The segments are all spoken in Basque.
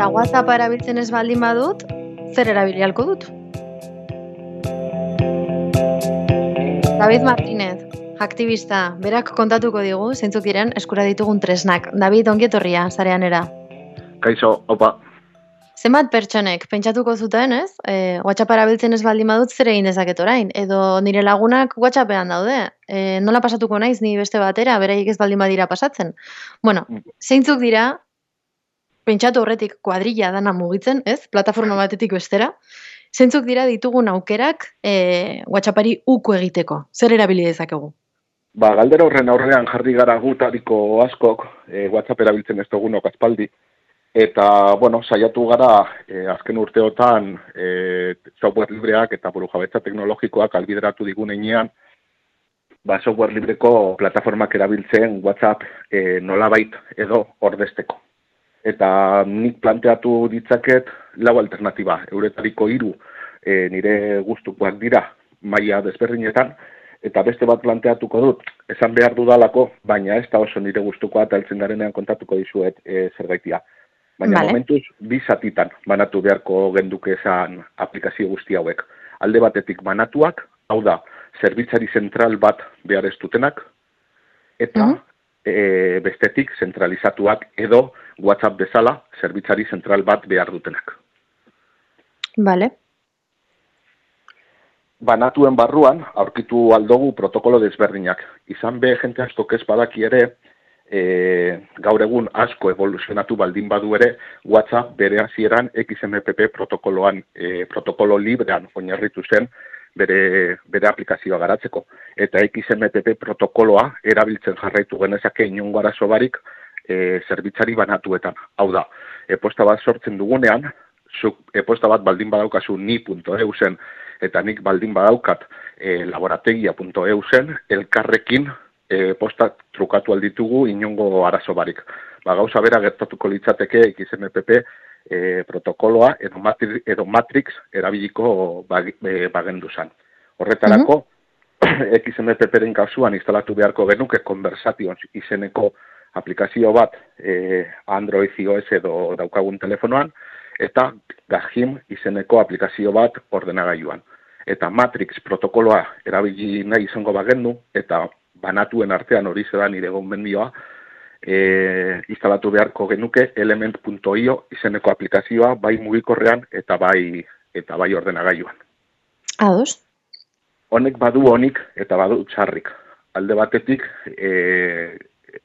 eta WhatsApp erabiltzen ez baldin badut, zer erabili ahalko dut? David Martínez, aktivista, berak kontatuko digu, zeintzuk diren eskura ditugun tresnak. David, ongi etorria, sareanera. Kaixo, opa. Zenbat pertsonek pentsatuko zuten, ez? WhatsApp erabiltzen ez baldin badut zer egin dezaket orain? Edo nire lagunak WhatsAppean daude. Nola pasatuko naiz ni beste batera, beraiek ez baldin badira pasatzen? Bueno, zeintzuk dira, pentsatu horretik kuadrilla dana mugitzen, ez? Plataforma batetik bestera. Zeintzuk dira ditugun aukerak WhatsAppari uko egiteko? Zer erabili dezakegu? Galdera horren aurrean jarri gara gutariko askok, WhatsApp erabiltzen ez dugunok aspaldi. Eta, saiatu gara azken urteotan software libreak eta burujabetza teknologikoak albideratu digunean, software libreko plataformak erabiltzen WhatsApp nolabait edo ordezteko. Eta nik planteatu ditzaket lau alternatiba, euretariko 3 nire gustukoak dira maila desberdinetan, eta beste bat planteatuko dut, esan behar dudalako, baina ez da oso nire gustukoa eta heltzen garenean kontatuko dizuet zergaitia. Baina momentuz, 2 zatitan banatu beharko genduke esan aplikazio guzti hauek. Alde batetik banatuak, hau da, zerbitzari zentral bat behar ez dutenak, eta bestetik zentralizatuak edo WhatsApp bezala zerbitzari zentral bat behar dutenak. Vale. Banatuen barruan, aurkitu aldogu protokolo desberdinak. Izan be, jente askok ez badaki ere, gaur egun asko evoluzionatu baldin badu ere, WhatsApp bere hasieran XMPP protokoloan, protokolo librean oinarritu zen bere aplikazioa garatzeko. Eta XMPP protokoloa erabiltzen jarraitu genezake inongo arazo barik zerbitzari banatuetan. Hau da, e-posta bat sortzen dugunean, zuk e-posta bat baldin badaukazu ni.eu zen, eta nik baldin badaukat laborategia.eu zen, elkarrekin postak trukatu alditugu inongo arazo barik. Gauza bera gertatuko litzateke XMPP protokoloa edo Matrix erabiliko bagendu zen. Horretarako, XMPP-ren kasuan instalatu beharko genuke Conversations izeneko aplikazio bat Android iOS edo daukagun telefonoan, eta Gajim izeneko aplikazio bat ordenagailuan. Eta Matrix protokoloa erabili nahi izango bagendu, eta banatuen artean hori zera nire gomendioa, instalatu beharko genuke element.io izeneko aplikazioa bai mugikorrean eta bai ordenagailuan. Ados? Honek badu honik eta badu txarrik. Alde batetik,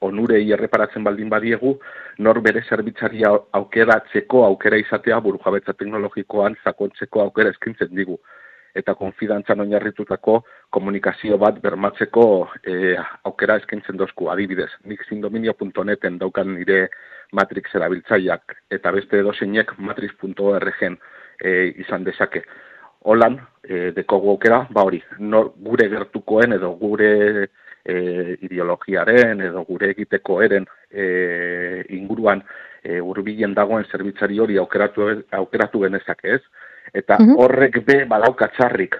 onurei erreparatzen baldin badiegu, nor bere zerbitzaria aukeratzeko aukera izatea burujabetza teknologikoan sakontzeko aukera eskintzen digu. Eta konfidantzan oinarritutako komunikazio bat bermatzeko aukera eskaintzen dozku. Adibidez, nik sindominio.neten daukan nire Matrix erabiltzaileak eta beste edozeinek matrix.org izan dezake. Holan, dekogu aukera, hori, gure gertukoen edo gure ideologiaren edo gure egiteko eren inguruan hurbilen dagoen zerbitzari hori aukeratu genezake ez. Eta horrek badauka txarrik,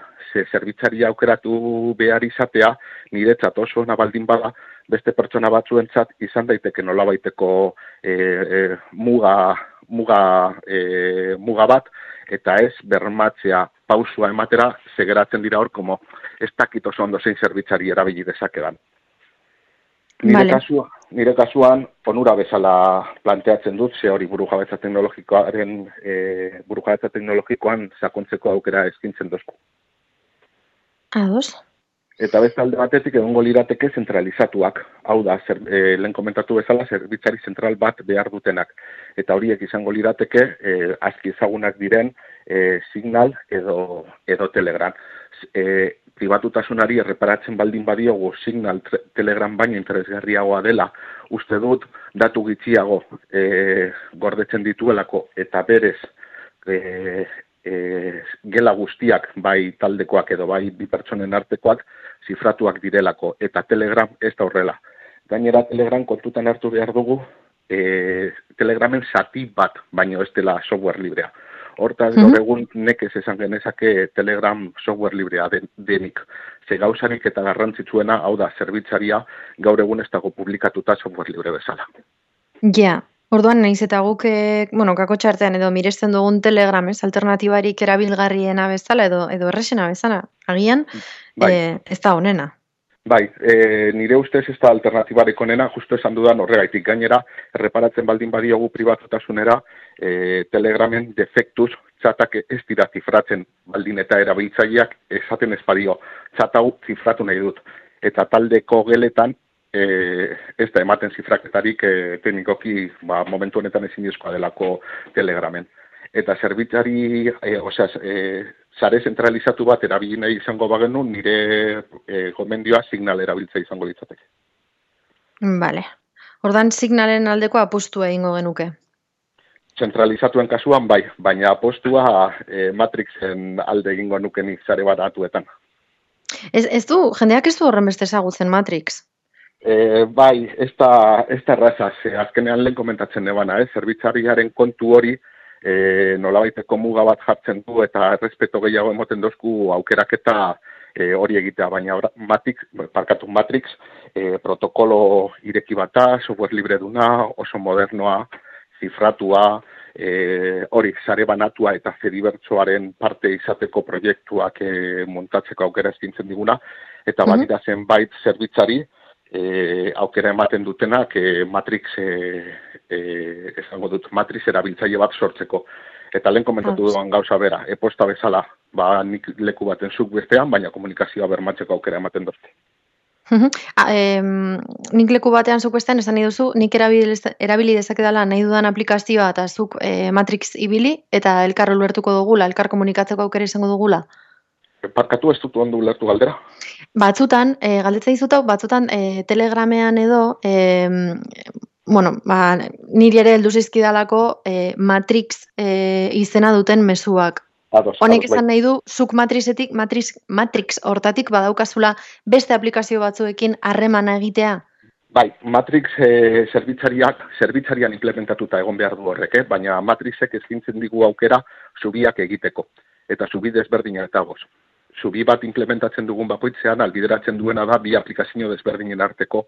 zerbitzaria aukeratu behar izatea, niretzat oso ona baldin bada, beste pertsona batzuentzat izan daiteke nolabaiteko muga bat, eta ez bermatzea pausua ematera, segeratzen dira hor, como ez dakit oso ondo zein zerbitzari erabili dezakedan. Nire kasuan, onura bezala planteatzen dut, ze hori burujabetza teknologikoan sakontzeko aukera eskintzen dozku. Ados. Eta beste alde batetik egongo lirateke zentralizatuak. Hau da, lehen komentatu bezala, zerbitzari zentral bat behar dutenak. Eta horiek izango lirateke, aski ezagunak diren, Signal edo Telegram. Pribatutasunari erreparatzen baldin badiogu Signal Telegram baino interesgarriagoa dela, uste dut datu gitxiago gordetzen dituelako eta berez gela guztiak bai taldekoak edo bai bi pertsonen artekoak zifratuak direlako eta Telegram ez da horrela. Gainera Telegram kontutan hartu behar dugu Telegramen zati bat baino ez dela software librea. Hortaz, gaur egun nekez esan genezake Telegram software librea denik. Ze gauzarik eta garrantzitsuena, hau da, zerbitzaria gaur egun ez dago publikatuta software libre bezala. Ja, Orduan, naiz eta guk, kako txartean edo miresten dugun Telegram, ez, alternatibarik erabilgarriena bezala edo erresena bezala, agian, Bai, ez da honena. bai, nire ustez ez da alternatibarik onena, justo esan dudan horregaitik gainera, erreparatzen baldin badiogu pribatotasunera, Telegramen defektuz txatak ez dira zifratzen baldin eta erabiltzaileak esaten ez badio, txat hau zifratu nahi dut. Eta taldeko geletan, ez da ematen zifraketarik teknikoki momentu honetan ezinezkoa delako Telegramen. Eta zerbitzari, sare zentralizatu bat erabili nahi izango bagenu, nire gomendioa Signal erabiltza izango litzateke. Vale. Ordan Signalen aldeko apustua egingo genuke. Zentralizatuen kasuan bai, baina apostua Matrixen alde egingo nukenik sare baratuetan. Jendeak ez du horren beste ezagutzen Matrix? Bai, ez da erraza, azkenean lehen komentatzen nebana, zerbitzariaren kontu hori nolabaiteko muga bat jartzen du eta errespeto gehiago emoten dozku aukeraketa hori egitea, baina Matrix protokolo ireki bata, software libre duna, oso modernoa, zifratua, hori sare banatua eta Fedibertsoaren parte izateko proiektuak montatzeko aukera eskintzen diguna, eta badira zenbait zerbitzari aukera ematen dutenak Matrix esango dut Matrix erabiltzaile bat sortzeko. Eta lehen komentatu duan gauza bera, e-posta bezala, nik leku baten zuk bestean, baina komunikazioa bermatzeko aukera ematen dute. Nik leku batean zuk bestean esan nahi duzu, nik erabili dezakedala nahi dudan aplikazioa eta zuk Matrix ibili eta elkar ulertuko dugula, elkar komunikatzeko aukera izango dugula? Parkatu ez dut ondo ulertu galdera? Batzutan, galdetza dizutau, batzutan Telegramean edo, niri ere heldu zizkidalako Matrix izena duten mezuak. Honek esan nahi du, zuk Matrix hortatik badaukazula beste aplikazio batzuekin harremana egitea? Bai, Matrix zerbitzarian implementatuta egon behar du horrek, baina Matrixek eskaintzen digu aukera zubiak egiteko, eta zubi desberdina eta goz. Zubi bat implementatzen dugun bakoitzean albideratzen duena da bi aplikazio desberdinen arteko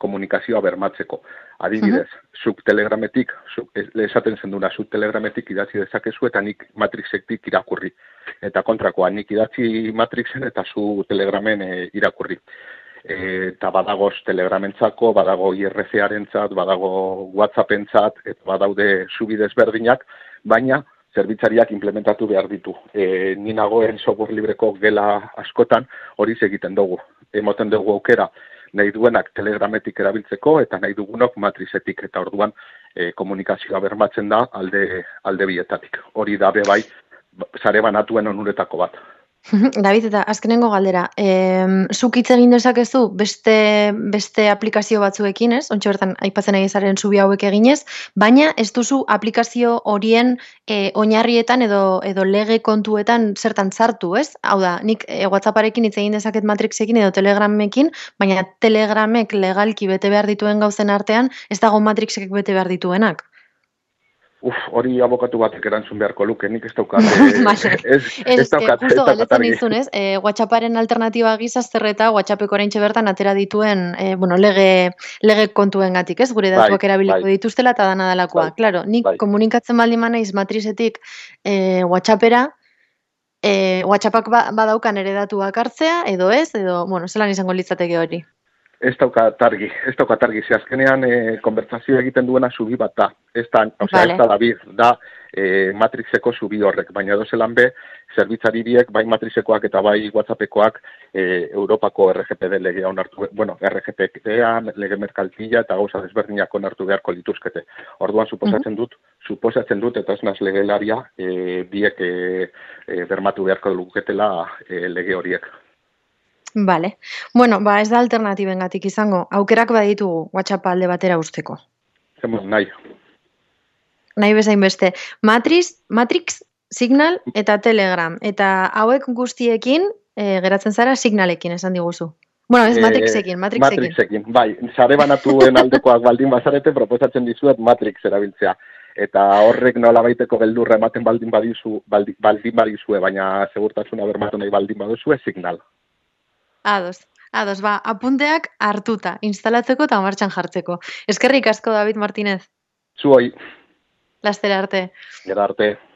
komunikazioa bermatzeko. Adibidez, zuk Telegrametik, esaten zenduna, zuk Telegrametik idatzi dezakezu eta nik Matrixetik irakurri. Eta kontrakoa, nik idatzi Matrixen eta zu Telegramen irakurri. Eta badagoz Telegramentzako, badago IRC-arentzat, badago WhatsAppentzat, eta badaude zubi desberdinak, baina zerbitzariak implementatu behar ditu. Ni nagoen software libreko gela askotan hori egiten dugu. Emoten dugu aukera nahi duenak Telegrametik erabiltzeko eta nahi dugunok Matrixetik eta orduan komunikazioa bermatzen da alde bietatik. Hori da bai sare banatuen onuretako bat. David, eta azkenengo galdera, zuk hitz egin dezakezu beste aplikazio batzuekin, ez? Ontxe bertan, aipatzen ari zaren zubi hauek eginez, baina ez duzu aplikazio horien oinarrietan edo lege kontuetan zertan sartu, ez? Hau da, nik WhatsApparekin hitz egin dezaket Matrixekin edo Telegramekin, baina Telegramek legalki bete behar dituen gauzen artean, ez dago Matrixek bete behar dituenak. Hori abokatu batek erantzun beharko luke, nik ez daukat. Justo galdetzen dizun, ez? WhatsApparen alternatiba gisa zerreta WhatsAppeko oraintxe bertan atera dituen lege kontuengatik, ez? Gure datuak erabiliko dituztela eta dana dalakoa. Claro, nik komunikatzen baldin manaiz Matrixetik WhatsAppera, WhatsAppak badaukan ere datuak hartzea, edo ez, zelan izango litzateke hori? Ez daukat argi, ze azkenean konbertsazio egiten duena zubi bat da. Ez da David, da Matrixeko zubi horrek, baina dozelan be, zerbitzari biek, bai Matrixekoak eta bai WhatsAppekoak Europako RGPD legea onartu, RGPD-a, lege merkaltila eta gauza desberdinak onartu beharko lituzkete. Orduan suposatzen dut, eta ez naz legelaria, biek bermatu beharko luketela lege horiek. Vale. Bueno, ez da alternatibengatik izango. Aukerak baditugu WhatsApp alde batera usteko. Nahi. Nahi bezain beste. Matrix, Signal eta Telegram. Eta hauek guztiekin geratzen zara Signalekin, esan diguzu. Bueno, ez Matrixekin. Matrixekin, bai. Sare banatuen aldekoak baldin bazarete, proposatzen dizuet Matrix erabiltzea. Eta horrek nolabaiteko beldurra ematen baldin badizue, baina segurtasuna bermatu nahi baldin baduzue, Signal. Ados, apunteak hartuta, instalatzeko eta martxan jartzeko. Eskerrik asko, David Martínez. Zuoi, Laster arte. gero arte.